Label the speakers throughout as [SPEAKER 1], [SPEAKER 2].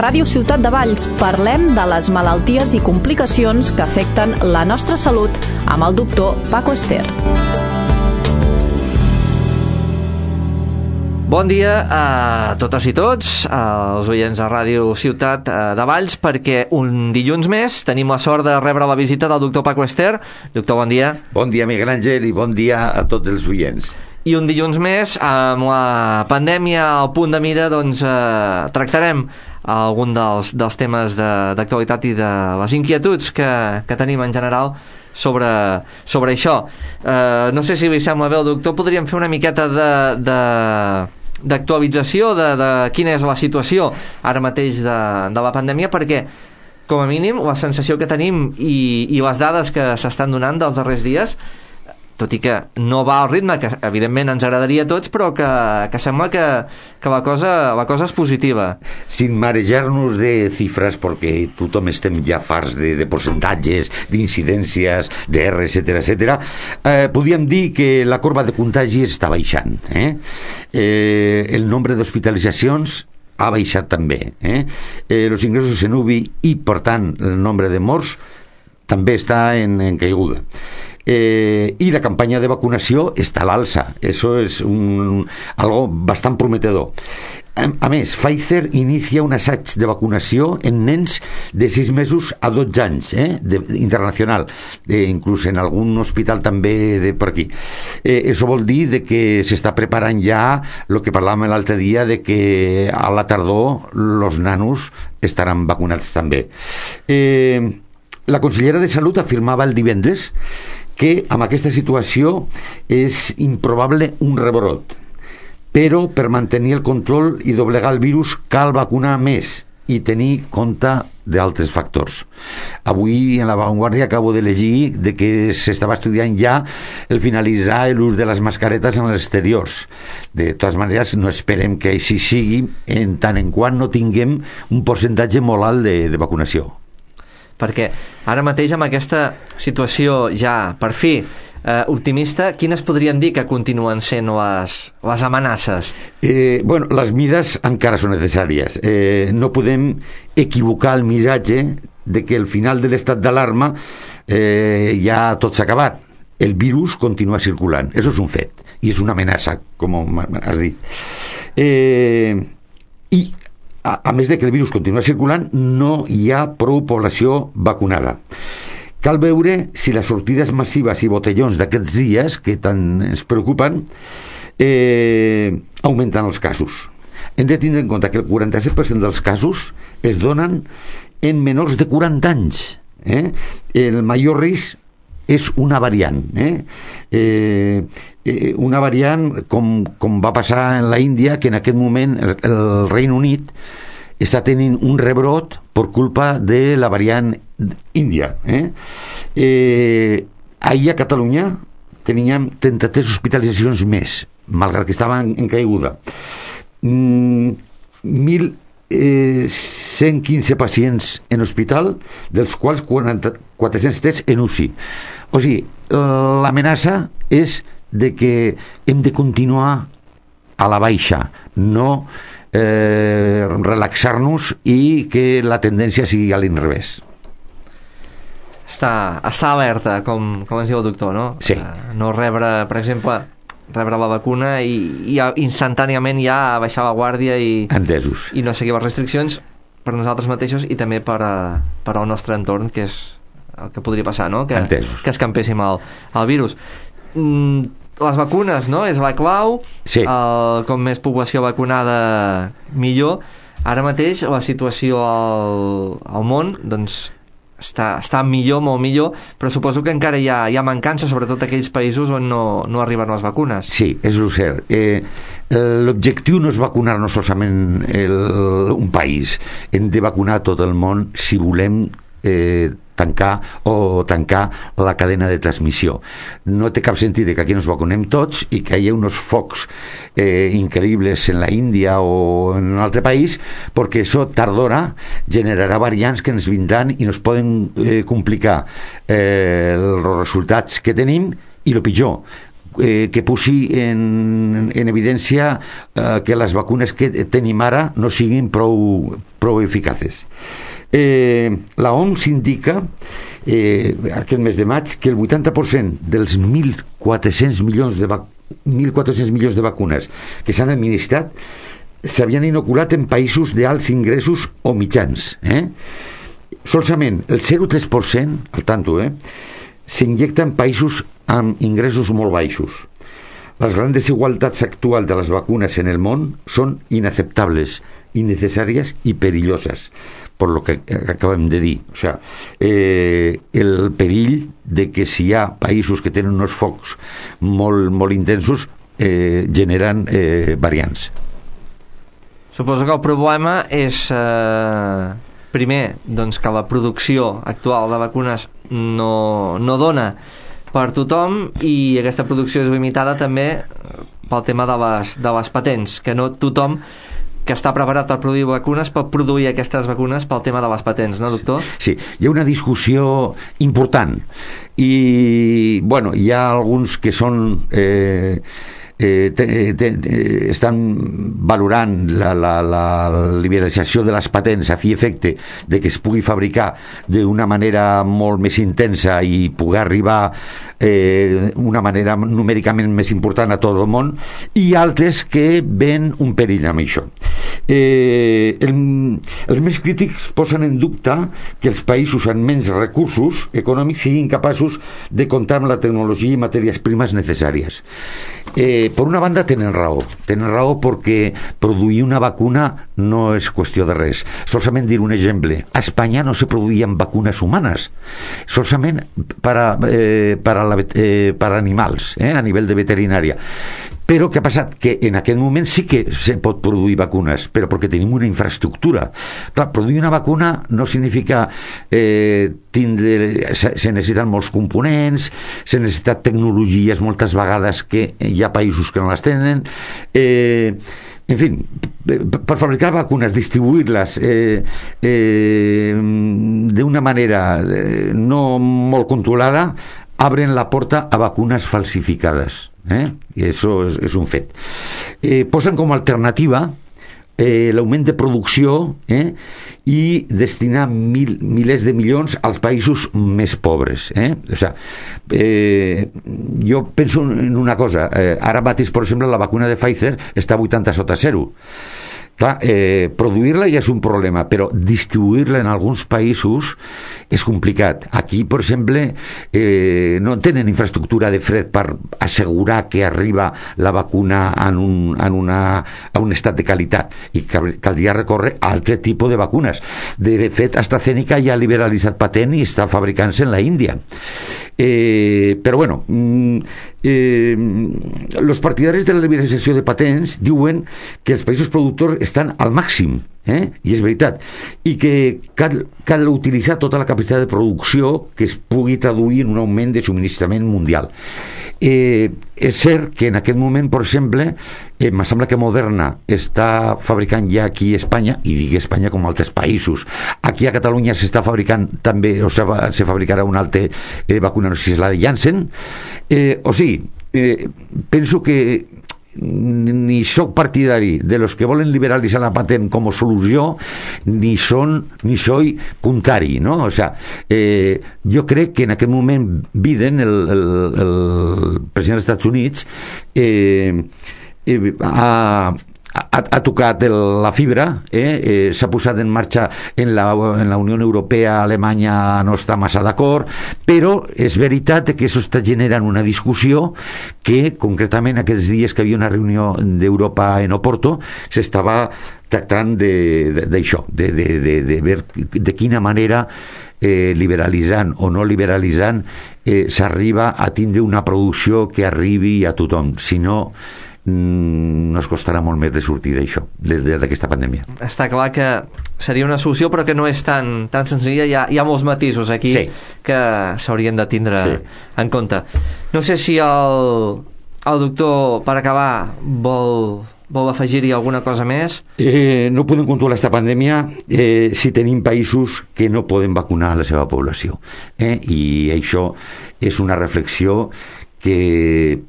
[SPEAKER 1] Ràdio Ciutat de Valls parlem de les malalties i complicacions que afecten la nostra salut amb el doctor Paco Ester.
[SPEAKER 2] Bon dia a totes i tots, als oients de Ràdio Ciutat de Valls, perquè un dilluns més tenim la sort de rebre la visita del doctor Paco Ester. Doctor, bon dia.
[SPEAKER 3] Bon dia, Miguel Àngel, i bon dia a tots els oients.
[SPEAKER 2] I un dilluns més, amb la pandèmia al punt de mira, doncs tractarem algun dels temes d'actualitat i de les inquietuds que tenim en general sobre això. No sé si li sembla bé al doctor, podríem fer una miqueta d'actualització de quina és la situació ara mateix de la pandèmia, perquè com a mínim la sensació que tenim i les dades que s'estan donant dels darrers dies, tot i que no va al ritme que evidentment ens agradaria a tots, però que sembla que la cosa és positiva.
[SPEAKER 3] Sin marejar-nos de xifres, perquè tothom estem ja farts de percentatges, d'incidències, d'R, etcètera, podríem dir que la corba de contagi està baixant. El nombre d'hospitalitzacions ha baixat també. Els ingressos en UBI i, per tant, el nombre de morts també està en caiguda. I la campanya de vacunació està a l'alça. Eso es algo bastant prometedor. A més, Pfizer inicia un assaig de vacunació en nens de 6 mesos a 12 anys, internacional, inclús en algun hospital també per aquí. Això vol dir de que s'està preparant ja el que parlàvem l'altre dia, de que a la tardor els nanos estaran vacunats també. La consellera de Salut afirmava el divendres que amb aquesta situació és improbable un rebrot, però per mantenir el control i doblegar el virus cal vacunar més i tenir compte d'altres factors. Avui en La Vanguardia acabo de llegir de que s'estava estudiant ja el finalitzar l'ús de les mascaretes en els exteriors. De totes maneres, no esperem que així sigui en tant en quant no tinguem un percentatge molt alt de vacunació.
[SPEAKER 2] Perquè ara mateix amb aquesta situació ja, per fi, optimista, quines podrien dir que continuen sent les amenaces?
[SPEAKER 3] Bueno, les mides encara són necessàries. No podem equivocar el missatge de que al final de l'estat d'alarma ja tot s'ha acabat. El virus continua circulant. Això és un fet. I és una amenaça, com has dit. I a més de que el virus continua circulant, no hi ha prou població vacunada. Cal veure si les sortides massives i botellons d'aquests dies, que tant ens preocupen, augmenten els casos. Hem de tindre en compte que el 47% dels casos es donen en menors de 40 anys. El major risc és una variant. Una variant com va passar en la Índia, que en aquest moment el Regne Unit està tenint un rebrot per culpa de la variant índia. Ahir a Catalunya teníem 33 hospitalitzacions més, malgrat que estaven en caiguda. 1.115 pacients en hospital, dels quals 403 en UCI. O sigui, l'amenaça és de que hem de continuar a la baixa, no relaxar-nos i que la tendència sigui a l'inrevés.
[SPEAKER 2] Està alerta, com ens diu el doctor, no?
[SPEAKER 3] Sí.
[SPEAKER 2] No rebre, per exemple, rebre la vacuna i instantàniament ja baixar la guàrdia i no seguir les restriccions per nosaltres mateixos i també per al nostre entorn, que és el que podria passar, no? Que escampéssim el virus. Les vacunes, no? És la clau.
[SPEAKER 3] Sí.
[SPEAKER 2] Com més població vacunada, millor. Ara mateix la situació al món, doncs, està millor, molt millor, però suposo que encara hi ha mancança, sobretot aquells països on no arriben les vacunes.
[SPEAKER 3] Sí, és cert. L'objectiu no és vacunar-nos solament un país. Hem de vacunar tot el món si volem tancar la cadena de transmissió. No té cap sentit que aquí ens vacunem tots i que hi ha uns focs increïbles en la Índia o en un altre país, perquè això tard o d'hora generarà variants que ens vindran i ens poden complicar els resultats que tenim, i el pitjor, que posi en evidència que les vacunes que tenim ara no siguin prou eficaces. La OMS indica aquest mes de maig que el 80% dels 1.400 milions de vacunes que s'han administrat s'havien inoculat en països d'alts ingressos o mitjans. Solament el 0,3%, al tanto, s'injecta en països amb ingressos molt baixos. Les grans desigualtats actuals de les vacunes en el món són inaceptables, innecessàries i perilloses, per lo que acabem de dir. O sea, el perill de que si hi ha països que tenen uns focs molt intensos generen variants.
[SPEAKER 2] Suposo que el problema és primer, doncs, que la producció actual de vacunes no dona per tothom, i aquesta producció és limitada també pel tema de les patents, que no tothom que està preparat per produir vacunes pot produir aquestes vacunes pel tema de les patents, no, doctor?
[SPEAKER 3] Sí, hi ha una discussió important i, bueno, hi ha alguns que són estan valorant la liberalització de les patents a fi i efecte de que es pugui fabricar d'una manera molt més intensa i poder arribar una manera numèricament més important a tot el món, i altres que ven un perill amb això. Els més crítics posen en dubte que els països amb menys recursos econòmics siguin capaços de comptar amb la tecnologia i matèries primes necessàries. Per una banda tenen raó perquè produir una vacuna no és qüestió de res. Solament dir un exemple: a Espanya no se produïen vacunes humanes, solament per animals, a nivell de veterinària. Però què ha passat? Que en aquest moment sí que se pot produir vacunes, però perquè tenim una infraestructura. Clar, produir una vacuna no significa se necessiten molts components, se necessiten tecnologies moltes vegades que hi ha països que no les tenen. En fi, per fabricar vacunes, distribuir-les d'una manera no molt controlada, abren la porta a vacunes falsificades. I això és un fet. Posen com a alternativa l'augment de producció i destinar milers de milions als països més pobres. O sigui, jo penso en una cosa. Ara mateix, per exemple, la vacuna de Pfizer està a 80 sota 0. Clar, produir-la ja és un problema, però distribuir-la en alguns països és complicat. Aquí, per exemple, no tenen infraestructura de fred per assegurar que arriba la vacuna a un estat de qualitat, i caldria recórrer a altre tipus de vacunes. De fet, AstraZeneca ja ha liberalitzat patent i està fabricant-se en la Índia. Però bueno, los partidaris de la liberalització de patents diuen que els països productors estan al màxim, i és veritat, i que cal utilitzar tota la capacitat de producció que es pugui traduir en un augment de subministrament mundial. És cert que en aquest moment, per exemple, em sembla que Moderna està fabricant ja aquí a Espanya, i dic Espanya com altres països. Aquí a Catalunya s'està fabricant també, o sigui, se fabricarà una altra vacuna, no sé si és la de Janssen. O sigui, penso que ni soc partidari de los que volen liberalitzar la patent com a solució, ni soy contrari, no? O sea, jo crec que en aquest moment Biden, el president dels Estats Units, ha tocat la fibra, s'ha posat en marxa en la Unió Europea. Alemanya no està massa d'acord, però és veritat que això està generant una discussió que concretament aquests dies que hi havia una reunió d'Europa en Oporto s'estava tractant d'això, de veure de quina manera liberalitzant o no liberalitzant s'arriba a tindre una producció que arribi a tothom. Si no, nos costarà molt més de sortir d'això, d'aquesta pandèmia.
[SPEAKER 2] Està clar que seria una solució, però que no és tan senzilla. Hi ha molts matisos aquí, sí, que s'haurien de tindre, sí, en compte. No sé si el doctor, per acabar, vol afegir-hi alguna cosa més?
[SPEAKER 3] No podem controlar aquesta pandèmia si tenim països que no poden vacunar la seva població, i això és una reflexió que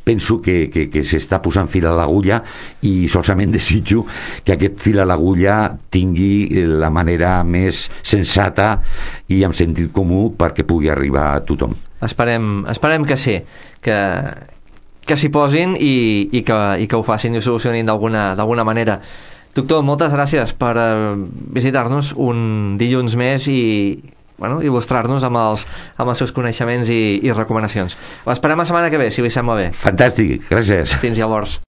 [SPEAKER 3] penso que s'està posant fil a l'agulla i solament desitjo que aquest fil a l'agulla tingui la manera més sensata i amb sentit comú perquè pugui arribar a tothom.
[SPEAKER 2] Esperem que sí, que s'hi posin i que ho facin i ho solucionin d'alguna manera. Doctor, moltes gràcies per visitar-nos un dilluns més i il·lustrar-nos amb els seus coneixements i recomanacions. L'esperem la setmana que ve, si li sembla bé.
[SPEAKER 3] Fantàstic, gràcies.
[SPEAKER 2] Fins llavors.